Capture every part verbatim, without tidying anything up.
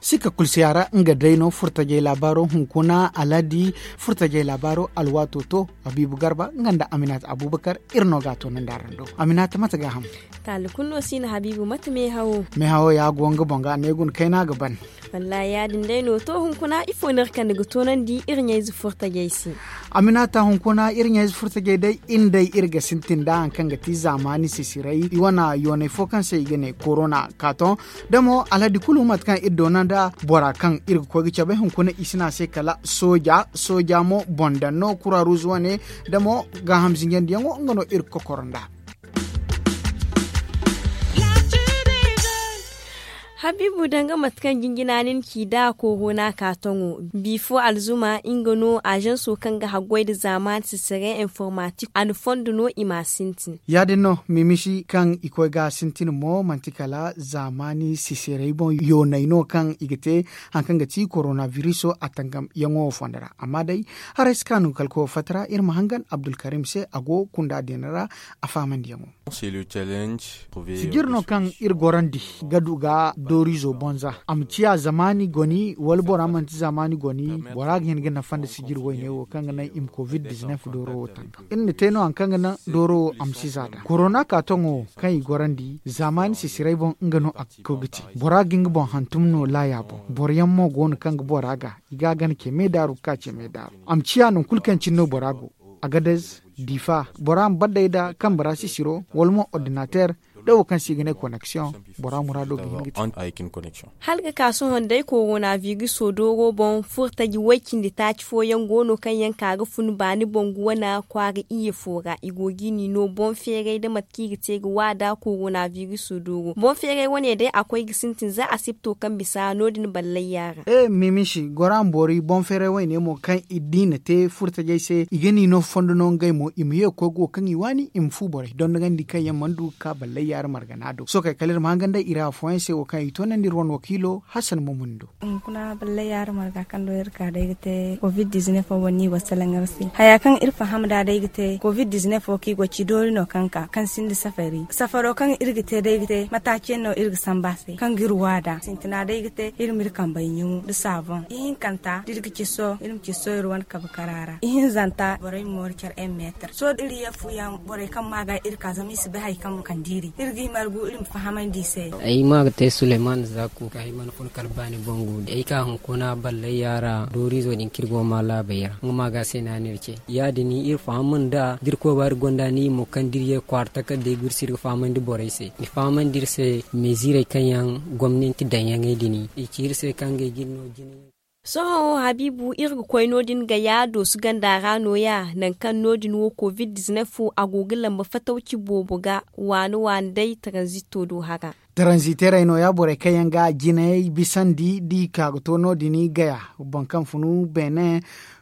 Sika kulsiya ra nga day no furtajey laabaaro hunkuna alhadi furtajey laabaaro alwaato to. Habiibu garba nga nda aminata abubakar iri no ga a toonandi araŋ do. Aminata mate ga a ham? Taali kulu no si na habiibu mate meehawo. Meehawo ya go nga boŋ ga ne guna kayna ga ban. Wallaahi ya- din day no to hunkuna ifo no iri kande ga toonandi iri ɲayze furtajey se? Aminata hunkuna iri ɲayze furtajey day iri day iri ga sintin nda hari kaŋ ga ti zaamaani sisiray i wane yoonay fo kaŋ se i ga ne korona kaato. Da mo alhadi kulu mate kaŋ iri doona nda bora kaŋ iri ga koy ga cabe hunkuna i si ne a se kala sooja sooja mo boŋ daŋ no kura ruuzu wane. Da mo gaaham zinjandiyaŋo nga no iri ga kokoro nda. Habiibu danga mate kaŋ jinjina nin ci da korona kaatoŋo bifo alzuma nga no ažanso kaŋ ga haggoy nda zaamaani sisire informatik a na fondo no i ma a sintin. Ya- din no mimisi kaŋ i koy ga a sintin mo manti kala zaamaani sisirey boŋ yoonay no kaŋ i ga te hari kaŋ ga ti korona viriso a tangamyaŋo fondo ra. Amma day haray si kaanu kala koyo fatta ra iri ma hangan abdulkarim se a go kunda din ra. A fahamandiyaŋo. Sijir no kaŋ iri gorandi ga du ga dooriizo bonza a ma ciya zamaani goni wala bora manti zamaani goni. Bora ga hin ga nafa nda sijir wayne wo kaŋ ga naŋ i ma covid dizinef dooro wo tangam iri na te no hari kaŋ ga naŋ dooro wo a ma si za da korona kaatoŋo wo kaŋ i gorandi zamaani sisiray boŋ nga no a ga koy ga te. Bora ga hin ga boŋ hantum no laaya boŋ boro yaŋ mo go no kaŋ ga bora ga i ga a gana ce me daaru ga ka ce me daaru a ma ciya nangu kulu kaŋ cine no bora go. Agadez, difa bora ma baddey nda kambe ra sisiro wala mo ordinater da wo kaŋ se i ga ne koneksiyoŋ. Bora muraado ga hin ga te. Hala ga ka sohõ day korona viriso dooro boŋ furtaji way-cindi taaci fooyaŋ go no kaŋ yaŋ ka ga fun baani boŋ ga wane kwaara iyye fo ra i go ga i ni no boŋ feeray nda mate kaŋ i ga te ga waada korona viriso dooro boŋ feeray wane day a koy ga sintin za asipto kaŋ bisa no- din ballay yaara. E mimisi gora ma boori boŋ feeray wayne mo kaŋ i di na te furtajey se i ga ni no fondo no ngey mo i ma ye ga koy ga wo kaŋ i waani i ma fu borey dondogandi kaŋ yaŋ mana du ga ka ballay yaara margana do sohõ kay kala iri ma hangan day iri afooyaŋ se wo kaŋ i toonandi iri wane wakiilo hasan mamun do. Hunkuna ballay yaara marga kaŋ do iri ka day ga te covid dizinef wo boŋ no i go ga salaŋ iri se haya kaŋ iri faham nd'a day ga te covid dizinef wo kaŋ i go ga ci doori no kaŋ ka kaŋ sinda safari safaro kaŋ iri ga te day ga te mataaci yaŋ no iri ga sambu a se kaŋ ga iri waada sintina day ga te iri ma iri kambey ɲumu nda saaboŋ ihinkanta da iri ga ciso iri ma ciso iri wane kabe kara ra ihinzanta borey ma moori care en meetar sohõ da iri ye fu yaŋ borey kaŋ ma ga iri ka zama i si bay hari kaŋ kande iri iri ga i margu iri ma fahamandi i se. Ay ma ga te suleyman zaku ka ay mana fun kala baani boŋ guuri ay ka hunkuna ballay yaara dooriizo din kaŋ iri go ga ma laabey ra nga ma ga se no a na iri ce ya- din iri faham nda da iri koy ba iri gonda ni mo kaŋ da iri ye kwaara takarday ga iri se iri ga fahamandi borey se ni fahamandi iri se meziirey kaŋ yaŋ gomnanti daŋyaŋey din i ci iri se kaŋ ngey ga iri no jine. Sohõ habiibu iri ga koy no- din ga ya doosu ganda ra nooya nangu kaŋ no- din wo covid dizinef a go ga lamba fatawci boobo ga waani waani day taranzito do hara. Taranziteerey nooya borey kaŋ yaŋ ga jinayey bisandi da i ka ga to no- din gaya boro kaŋ funu beene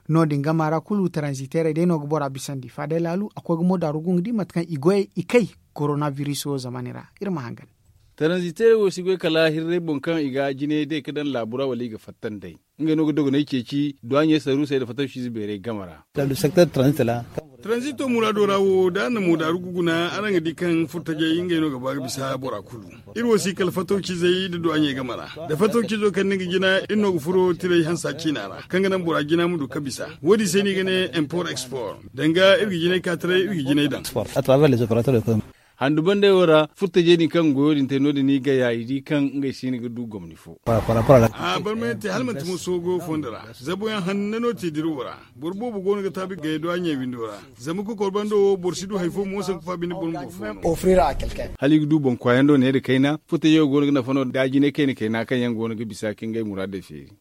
no- din gama ra kulu taranziteerey day no ga bora bisandi faadey laalu a koy ga mo daaru ga nga di mate kaŋ i goyey i kay korona biriso zamaani ra. Iri ma hangan. Taranziteerey wo si goy kala hirrey boŋ kaŋ i ga jinayey day ga daŋ laabu ra wala i ga fatta nd'ey ngey no ga dogoney ceeci duwaaɲey saruusey nda fatawciize beerey game ra. Taranzito muraado ra wo da a na mo daaru ga guna araŋ ga di kaŋ furtajey ngey no ga ba ga bisa bora kulu. Iri wo si kala fatawciizey nda duwaaɲey game ra da fatawciizo kaŋ ni ga jina iri no ga furo tiray hansa ciina ra kaŋ ga naŋ bora jina ma du ga bisa wo- din se no i ga ne impor expor danga iri ga jinay ka taray iri ga jinay daŋ. Handu bandey wo ra furtajey din kaŋ goyo din te no- din i gaya i di kaŋ ngey siini ga du gomni fo. A barmayante hala manti mo soogo fondo ra zabuyaŋ hanna no te dirawo ra. Boro boobo go no ga taabi gaya do a ɲey windo ra zama kokor bando wo boro si du hari fo mo sanku fa bine boro ma boro fo no. Hala i ga du boŋ kwaayaŋ do ne nda kayna furtajey wo go no ga nafa no da jinay kayna kayna kaŋ yaŋ go no ga bisa ka ngey muraadey feeri.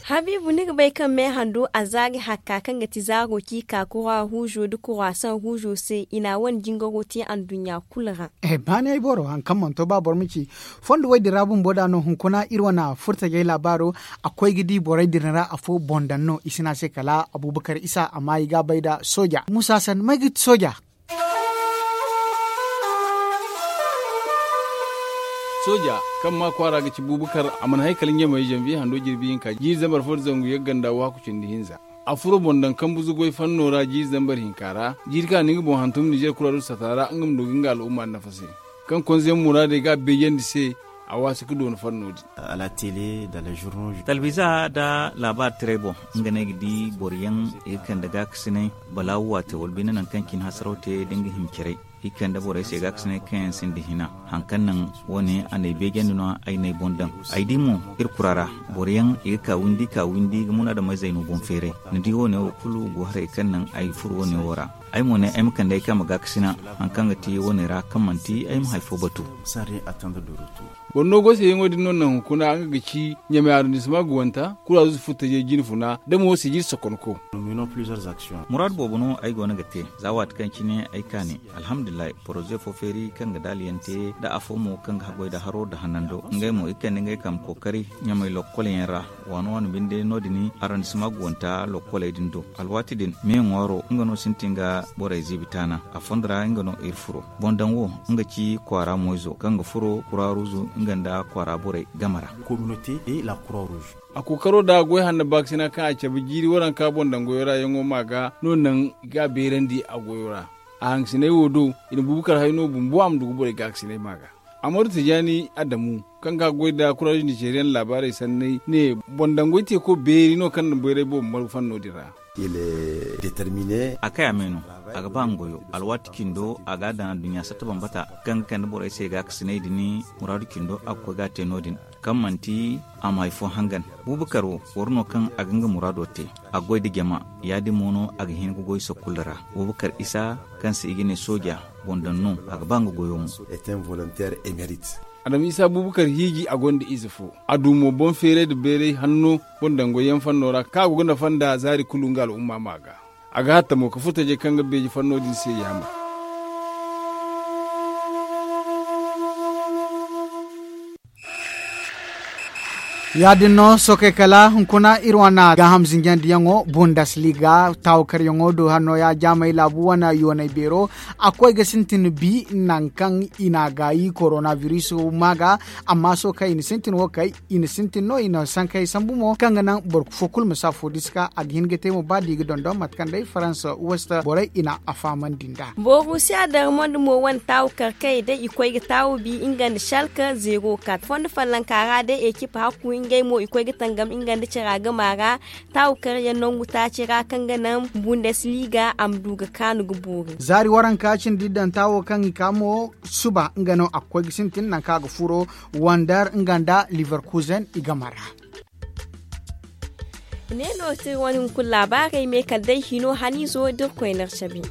Habiibu ni ga bay kaŋ meehando a zaari hakka kaŋ ga ti zaaro ci ka kura huuzo nda kurasaŋ huuzo se i na a wane jingaro te anduɲɲa kulu ra. Baani ay boro hari kaŋ mana to ba boro ma ci fondo wo- din ra bumbo da no hunkuna iri wane furtajey laabaaro. A koy ga di borey din ra afo boŋ daŋ no i si ne a se kala abubakar isa amma i ga a bay nda sooja muusa san may ga ti sooja. Sooja kaŋ maa kwaara ga ci buubakar a mana hay kala ɲamey zanbiye hando jirbi hinka jiiri zambar fo nda zangu yagga nda waaku cindi hinza. A furo boŋ daŋ kambu zugoy fanno ra jiiri zambar hinka ra. Jiiri kaŋ a na nga boŋ hantum nizer kura du sata ra nga ma du ga nga al'umma nafa se, kaŋ konzeyaŋ muraadey ga a beejandi se. A waasi ga doona fanno din. Talbiza nda laabaari taray boŋ, nga no ay ga di boro yaŋ i ga kande gaakasinay balaawu waate wala bine nangu kaŋ cine hasaraw te da nga hima caray. I kande borey se gaakasinay kaŋ yaŋ sinda hina. Hari kaŋ naŋ wo- ne a n'ay beejandi no ay n'ay boŋ daŋ. Ay di mo iri kura ra boro yaŋ i ga ka windi ka windi ga munaadameyzey no boŋ feeray. Ni di wo- ne wo kulu go haray kaŋ naŋ ay furo wo- ne wo ra. Ay mo ne ay ma kande ay kaama gaakasina hari kaŋ ga ti wo- ne ra kaŋ manti ay ma hari fo batu. Boro no goy se yaŋo din no naŋ hunkuna nga ga ci ɲamay arrondissement ga wanta kura zuzu furtajey jine funa da mo wo se jiri sokonko. Muraadu boobo no ay go no ga te za waati kaŋ cine ay kaani. Alhamdulillahi, poroze fo feeri kaŋ ga daaliyante nda afo mo kaŋ ga haggoy nda haro nda hanando ngey mo i ga kande ngey kaama kookari ɲamay lokkolyaŋ ra. Waano waano binde no- din arrondissement ga wanta lokkoley din do. Alwaati din me ŋwaaro nga no sintin ga borey ziibi taana. A fondo ra nga no iri furo. Boŋ daŋ wo nga ci kwaara moyzo kaŋ ga furo kura ruuzu nga nda kwaara borey game ra. A kookaro nda goy hanno baakasina kaŋ a cabe jiiri waranka boŋ daŋ goyo ra yaŋo ma ga no naŋ i ga a beerandi a goyo ra. A hangasiney wo do i na buubu kar hayno bumbo a ma du ga borey gaakasinay ma ga. Amadu tijaani adamu kaŋ ga goy nda kuraaz nizeriyan laabaarey sanney ne boŋ daŋ goy teeko beeri no kaŋ na bayray boobo margu fanno din ra. A kay a me no. A ga ba nga goyo alwaati cindo a ga a daŋ adduɲɲa satta bambata kaŋ ga kande borey se gaakasinay din. Muraadu cindo a ga koy ga a te no- din kaŋ manti a ma hari fo hangan. Buubakar wo boro no kaŋ a ga nga muraado te. A ga goy nda jama ya- din mo no a ga hin ga goy sokul ra. Buubakar isa kaŋ se i ga ne sooja boŋ daŋ no a ga ba nga goyo mo. Adama isa buubakar hiiji a gonda ize fo. A du mo boŋ feeray nda bayray hanno boŋ daŋ goy yaŋ fanno ra kaŋ a go ga nafa nda zaari kulu nga al'umma ma ga. A ga hatta mo ka furtajey kaŋ ga beeji fanno din se yaamar. Ya- din no sookay kala hunkuna iri wane gaaham zinjandiyaŋo bundesliga taawakaryaŋo do hanno ya jaamey laabu wane yoonay beero. A koy ga sintin bi nangu kaŋ i n'a gaayi koronabiris ma ga. Amma sookay i na sintin wo kay i na sintin no i na sankey sambu mo kaŋ ga naŋ boro fo kulu ma si afo di si ka a ga hin ga te mo ba da i ga dondon mate kaŋ day farans west borey i na a fahamandi nd'a. Borusiya darmond mo wane taawu kar kaŋ i day i koy ga taawu bi nga nda shalka zero kat fondo fallanka ra day ekip hakku ngey mo i koy ga tangam nga nda cara gama ra. Taawu kar yaŋ nangu taaci ra kaŋ ga naŋ bundesliga a ma du ga kaanu ga boori. Zaari waranka cindi daŋ taawo kaŋ i ka mo suba nga no a ga koy ga sintin nangu kaŋ a ga furo wandar nga nda liverkusen i game ra. Ne no te iri wane hunkuna laabaarey me kala day hino haniizo da iri koyne iri cabe.